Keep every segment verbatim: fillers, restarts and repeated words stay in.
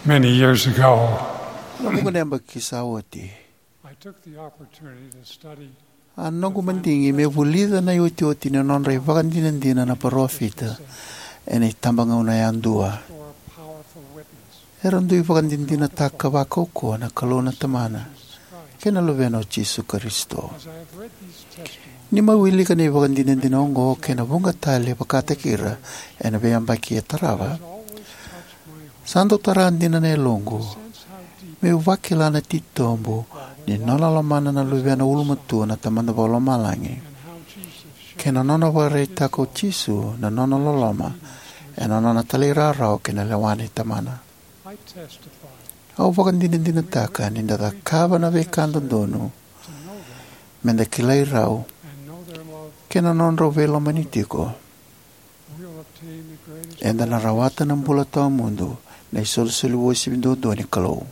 Many years ago, Na vuqa na yabaki sa oti, I took the opportunity to study a noqu madigi me vulica na iotioti ni nodra ivakadinadina na parofita ena itabagauna yadua. Era dui vakadinadinataka vakaukauwa na Kalou na Tamana kei na Luvena o Jisu Karisito. Ni mai wilika na ivakadinadina oqo kei na vuqa tale vakataki ira ena veiyabaki e tarava, sa dau tara dina na yaloqu meu vakila na titobu ni nona lomana na Luvena ulumatua na Tamada Vakalomalagi, kei na nona vakaraitaka o Jisu na nona loloma ena nona talairawarawa ki na lewa nei Tamana. Au vakadinadinataka ni da cakava na veika dodonu me da kilai rau kei na nodrau veilomani tiko, eda na rawata na bula tawamudu, na isolisoli uasivi duadua ni Kalou.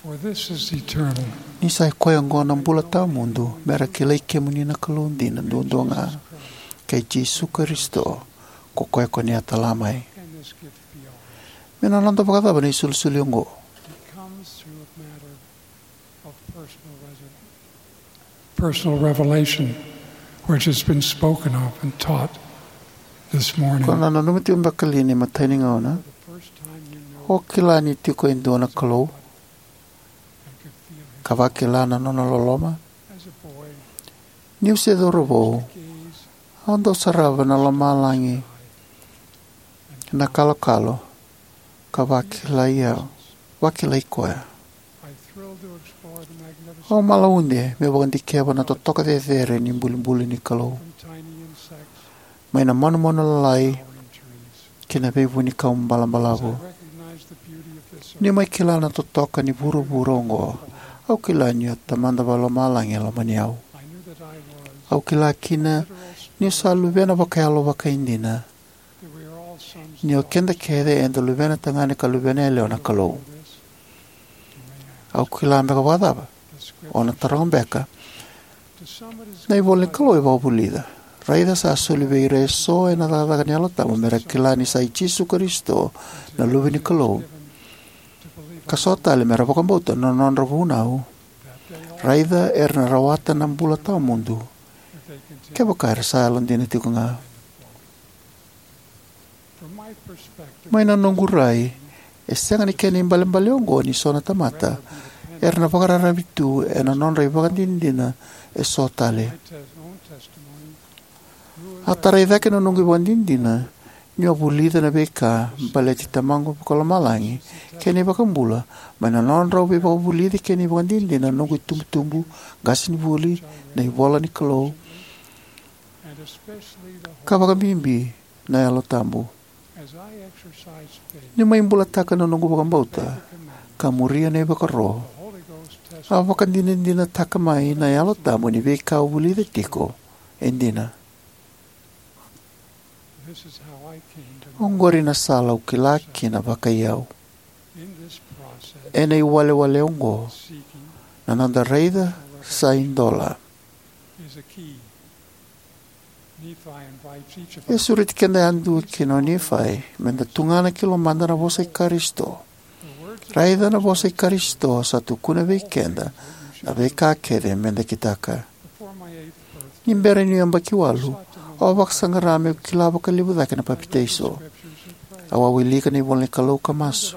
For this is eternal. Ni sa i koya oqo na bula tawamudu, me ra kilai kemuni na Kalou dina duadua ga, kei Jisu Karisito, ko koya ko ni a tala mai. Can this gift be ours? Me na noda vakacava na isolisoli oqo? It comes through a matter of personal reservation. Personal revelation, which has been spoken of and taught this morning. Ko na nanuma tiko beka li ni matai ni gauna o kila ni tiko e dua na Kalou, ka vakila na nona loloma? Niu se cauravou, au dau sarava na lomalagi na kalokalo ka vakilai au, vakilai koya. Au malaude meu vakadikeva na totoka cecere ni bulibuli ni Kalou, mai na manumanu lalai ki na veivunikau balabalavu. Niu mai kila na totoka ni vuravura oqo, au kila ni o Tamada Vakalomalagi e lomani au. Au kila kina niu sa luvena vakayalo vakaidina, ni o keda kece eda luvena tagane ka luvena yalewa na Kalou. Au kila beka vakacava? O na taroga beka. Na ivola ni Kalou e vakavulica: Raica, sa soli vei ira eso ena cakacaka ni Yalo Tabu me ra kila ni sa i Jisu Karisito na Luve ni Kalou, ka so tale me ra vakabauta na nodra vunau. Raica era na rawata na bula tawamudu kevaka era sa yalodina tiko ga. Mai na noqu rai, e sega ni kena ibalebale oqo ni so na tamata era na vakararavi tu ena nodra ivakadinadina eso tale. A tarai cake na noqu ivakadinadina niu a vulica na veika baleti Tamaqu Vakalomalagi kei na iVakabula mai na nodrau veivakavulici kei na ivakadinadina na noqu itubutubu, qasenivuli, na ivola ni Kalou, ka vakabibi na Yalo Tabu. Niu mai bulataka na noqu vakabauta ka muria na ivakaro, a vakadinadinataka mai na Yalo Tabu ni veika au vulica tiko e dina. Oqori na sala au kila kina vakaiyau. Ena iwalewale oqo, na noda raica sa idola. E sureti keda yadua kina o Nifai meda tugana ki lomada na vosa i Karisito. Raica, na vosa i Karisito sa tukuna vei keda na veika kece meda kitaka. Ni bera niu yabaki walu, au a vakasaqara meu kila vakalevu cake na papitaiso. Au a wilika na ivola ni Kalou ka masu.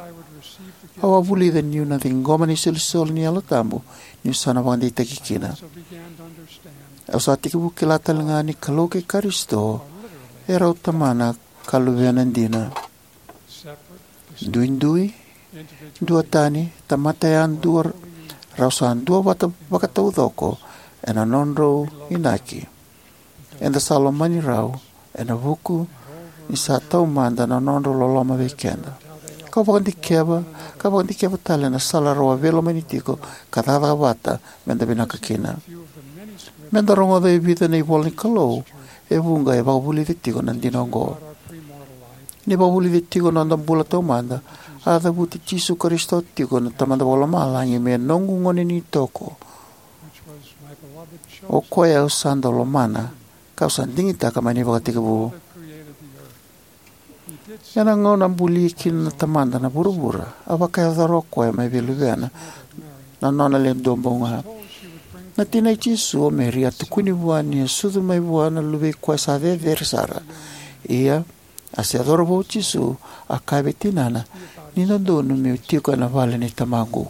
Au a vulica niu na ciqoma na isolisoli ni Yalo Tabu niu sa na vakadeitaki kina. Au sa tekivu kila talega ni Kalou kei Karisito e rau Tamana ka Luvena dina. Duidui, duatani, tamata yadua, rau sa duavata vakataucoko ena nodrau inaki. Eda sa lomani rau ena vuku ni sa taumada na nodrau loloma vei keda. Kau vakadikeva, ka vakadikeva tale na sala rau a veilomani tiko ka cakacaka vata meda vinaka kina. Meda rogoca e vica na ivola ni Kalou e vuqa e vakavulica tiko na dina oqo. Ni vakavulica tiko na noda bula taumada, a cavuti Jisu Karisito tiko na Tamada Vakalomalagi me noqu gone ni toko. O koya au sa dau lomana, kau sa digitaka mai na ivakatekivu. Ena gauna a buli kina na Tamada na vuravura, a vakayacora o koya mai vei Luvena na nona Le Duabau Ga. Na tina i Jisu, o Meri, a tukuni vua ni a sucu mai vua na Luve i Koya sa Cecere Sara. Ia, a se yacova vua o Jisu, a kaya vei tinana, "Ni dodonu meu tiko ena vale nei Tamaqu."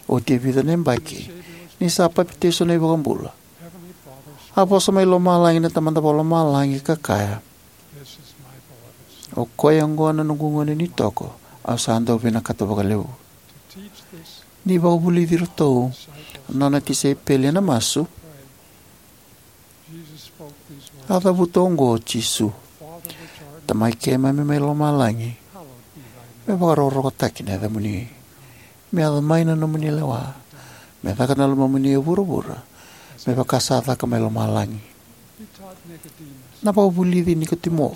Oti e vica na yabaki, ni sa papitaiso na iVakabula, a vosa mai lomalagi na Tamada Vakalomalagi ka kaya, "O koya oqo na noqu Gone ni Toko, au sa dau vinakata vakalevu." Ni vakavulici iratou na nona tisaipeli ena masu, a cavuta oqo o Jisu: "Tamai keimami mai lomalagi, me vakarokorokotaki na yacamuni. Me yaco mai na nomuni lewa. Me caka na lomamuni e vuravura, me vaka sa caka mai lomalagi." Na vakavulici Nikotimo,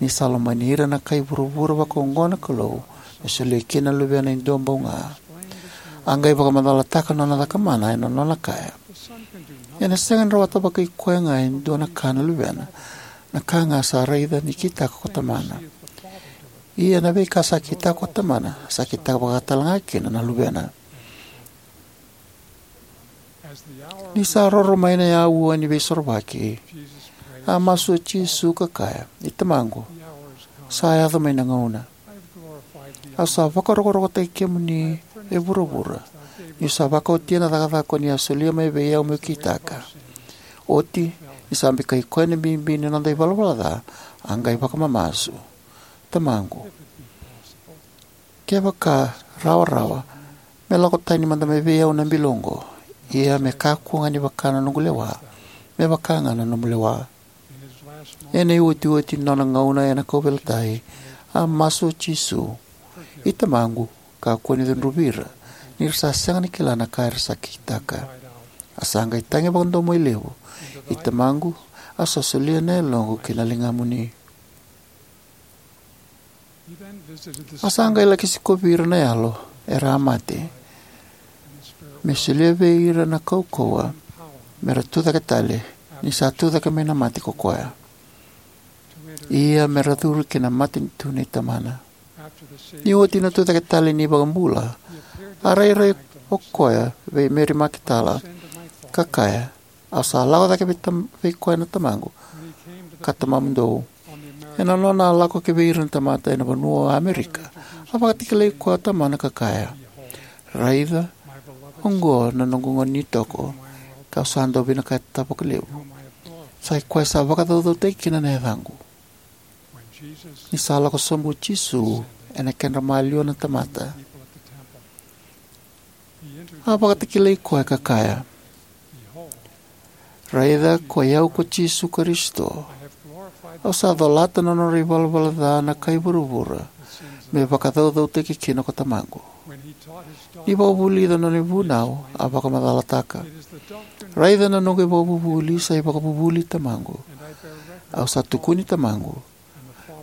ni sa lomani ira na kai vuravura vakaoqo na Kalou, me solia kina na Luvena e duabau ga, a qai vakamacalataka na nona cakamana ena nona kaya, "Ena sega ni rawata vakai koya ga e dua na ka na Luvena, na ka ga sa raica ni kitaka ko Tamana. Ia na veika sa kitaka ko Tamana, sa kitaka vaka talega kina na Luvena." Ni sa roro mai na aua ni Veisorovaki, a masu o Jisu ka kaya, "I Tamaqu, sa yaco mai na gauna. Au sa vakarokorokotaki kemuni e vuravura, niu sa vakaotia na cakacaka ko ni a solia mai vei au meu kitaka. Oti, ni sa bikai koya na bibi ni noda ivalavala ca, a qai vakamamasu: Tamaqu, kevaka rawarawa, me lako tani mada mai vei au na bilo oqo. Ia me kakua ga ni vaka na noqu lewa, me vaka ga na nomu lewa." Ena iotioti ni nona gauna ena kauveilatai, a masu o Jisu: "I Tamaqu, kakua ni cudruvi ira, ni ra sa sega ni kila na ka era sa kitaka." A sa qai tagi vakadomoilevu: "I Tamaqu, au sa solia na yaloqu ki na ligamuni." A sa qai laki sikovi ira na yalo era a mate, me solia vei ira na kaukauwa me ra tucake tale, ni sa tucake mai na mate ko koya, ia me ra curu ki na matanitu nei Tamana. Ni oti na tucake tale ni iVakabula, a rairai o koya vei Meri Makitala, ka kaya, "Au sa lako cake vei, tam, vei koya na Tamaqu ka Tamamudou." Ena nona a lako ki vei ira na tamata ena vanua o Amerika, a vakatakilai koya o Tamana ka kaya, "Raica, oqo na noqu Gone ni Toko, kau sa dau vinakata vakalevu. Sa i koya sa vakacaucautaki kina na yacaqu." Ni sa lako sobu o Jisu ena kedra maliwa na tamata, a vakatakilai koya ka kaya, "Raica, ko i au ko Jisu Karisito. Au sa colata na nodra ivalavala ca na kai vuravura, me vakacaucautaki kina ko Tamaqu." Ni vakavulica na nona ivunau, a vakamacalataka, "Raica na noqu ivakavuvuli sa ivakavuvuli i Tamaqu. Au sa tukuni Tamaqu,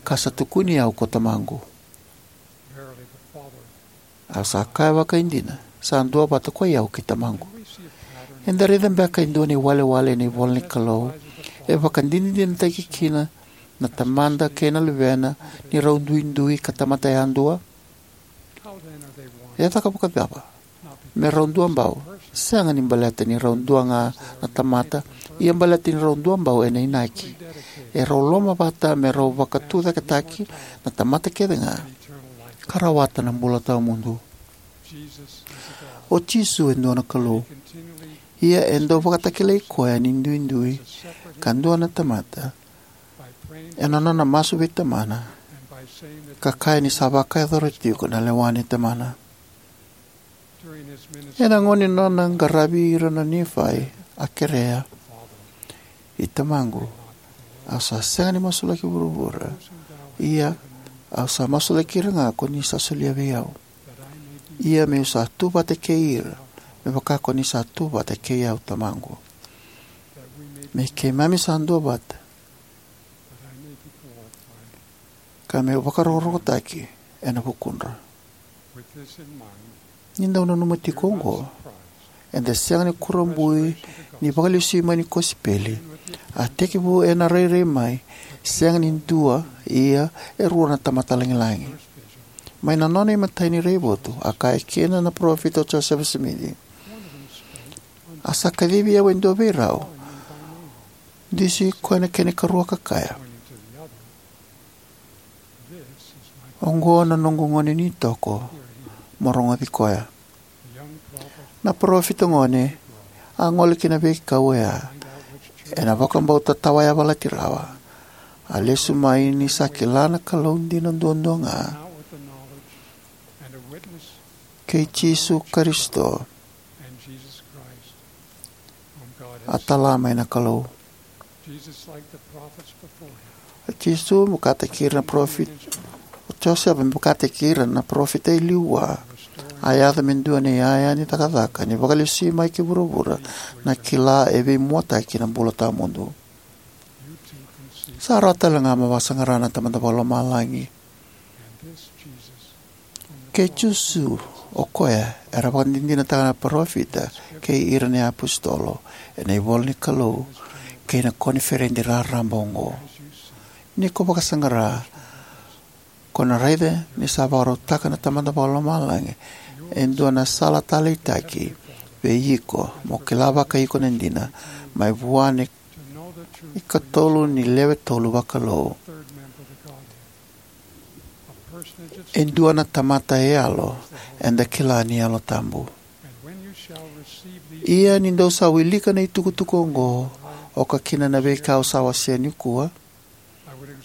ka sa tukuni au ko Tamaqu. Au sa kaya vakaidina, sa duavata ko i au kei Tamaqu." Eda raica beka e dua na iwalewale ena ivola ni Kalou e vakadinadinataki kina na Tamada kei na Luvena ni rau duidui ka tamata yadua? E caka vakacava me rau duabau? Sega ni baleta ni rau dua ga na tamata, ia baleta ni rau duabau ena inaki. E rau lomavata me rau vakatucaketaki na tamata kece ga ka rawata na bula tawamudu. O Jisu e dua na Kalou. Ia e dau vakatakilai koya ni duidui ka dua na tamata ena nona masu vei Tamana ka kaya ni sa vakayacora tiko na lewa nei Tamana. Ena gauna ni nona qaravi ira na Nifai, a kerea, "I Tamaqu, au sa sega ni masulaki vuravura, ia au sa masulaki ira ga ko ni sa solia vei au, ia meu sa tu vata kei ira, me vaka ko ni sa tu vata kei au, Tamaqu, me keimami sa duavata, ka meu vakarokorokotaki ena vukudra." Ni dau nanuma tiko oqo, Eda sega ni kurabui ni vakalesui mai ni kosipeli. A tekivu ena rairai mai, sega ni dua, ia e rua na tamata lagilagi. Mai na nona imatai ni raivotu, a kaya kina na parofita o Josefa Simici, "A sa kacivi au e dua vei rau, dusi koya na kena ikarua ka kaya, 'Oqo na noqu gone ni toko, mo rogoci koya.'" Na parofita gone a gole ki na veika oya ena vakabauta tawayavalati rawa. A lesu mai ni sa kila na Kalou dina duadua ga, kei Jisu Karisito a tala mai na Kalou. O Jisu me vakataki ira na parofita, o Josefa me vakataki ira na parofita e liu vua, a yaco me dua na iyaya ni cakacaka ni vakalesui mai ki vuravura na kila e veimuataki na bula tawamudu. Sa rawa tale ga mo vakasaqara na Tamada Vakalomalagi. Kei Jisu, o koya era vakadinadinataka na parofita kei ira na iapositolo ena ivola ni Kalou kei na koniferedi raraba oqo. Ni ko vakasaqara, ko na raica ni sa vakarautaka na Tamada Vakalomalagi e dua na sala taleitaki vei iko mo kila vakaiko na dina mai vua na ikatolu ni lewe tolu vakalou. E dua na tamata e yalo eda kila ni Yalo Tabu. Ia ni dou sa wilika na itukutuku oqo, oka kina na veika au sa wasea nikua,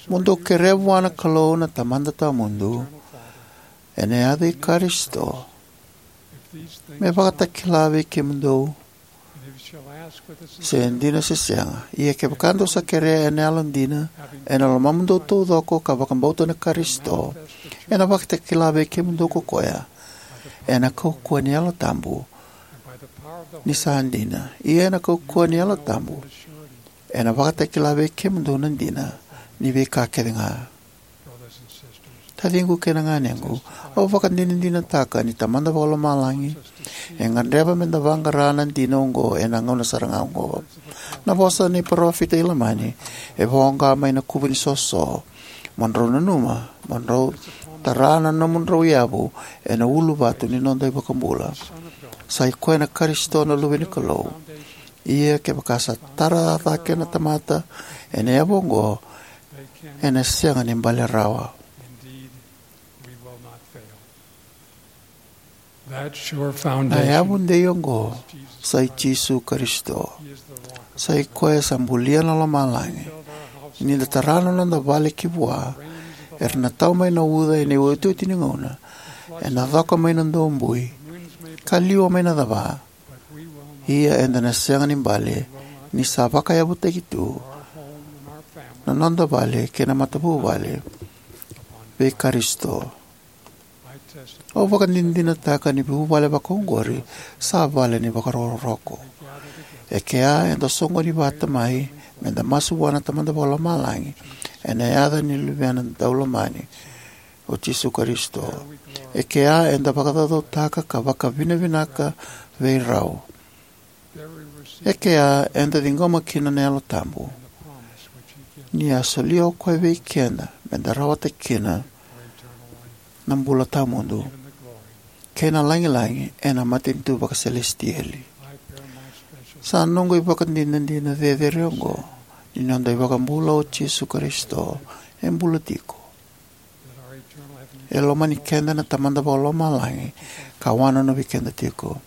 mo dou kerea vua na Kalou na Tamada Tawamudu ena yaca i Karisito, me vakatakila vei kemudou se dina se sega. Ia kevaka dou sa kerea ena yalodina, ena lomamudou taucoko, ka vakabauta na Karisito, ena vakatakila vei kemudou ko koya ena kaukauwa ni Yalo Tabu ni sa dina. Ia ena kaukauwa ni Yalo Tabu ena vakatakila vei kemudou na dina ni veika kece ga. Taciqu kei na ganequ, au vakadinadinataka ni Tamada Vakalomalagi e gadreva meda vaqara na dina oqo ena gauna sara ga oqo. Na vosa ni parofita i Lamani e voqa mai na kuvu ni soso: "Mo drau nanuma, mo drau tara na nomudrau yavu ena uluvatu ni noda iVakabula. Sa i koya na Karisito na Luve ni Kalou. Ia kevaka sa tara cake na tamata ena yavu oqo, ena sega ni bale rawa." Na yavu dei oqo sa i Jisu Karisito. Sa i koya sa bulia na lomalagi. Ni da tara na noda vale ki vua, era na tau mai na uca ena iotioti ni gauna, ena coka mai na dobui, ka liwa mai na cava. Ia eda na sega ni bale, ni sa vakayavutaki tu na noda vale kei na matavuvale vei Karisito. Au vakadinadinataka ni vuvale vakaoqori sa vale ni vakarokoroko. E kea eda soqoni vata mai meda masu vua na Tamada Vakalomalagi ena yaca ni Luvena Daulomani, o Jisu Karisito. E kea eda vakacaucautaka ka vakavinavinaka vei rau. E kea eda ciqoma kina na Yalo Tabu, ni a solia o koya vei keda meda rawata kina na bula tawamudu kei na lagilagi ena matanitu vakaselesitieli. Sa noqu ivakadinadina cecere oqo ni noda iVakabula o Jisu Karisito e bula tiko. E lomani keda na Tamada Vakalomalagi ka wanonovi keda tiko.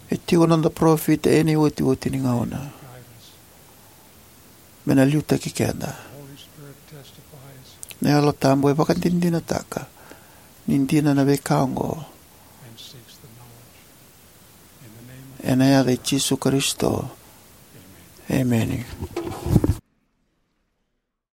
E tiko noda parofita ena iotioti ni gauna me na liutaki keda. Na Yalo Tabu e vakadinadinataka ni dina na veika oqo. Ena yaca i Jisu Karisito, emeni.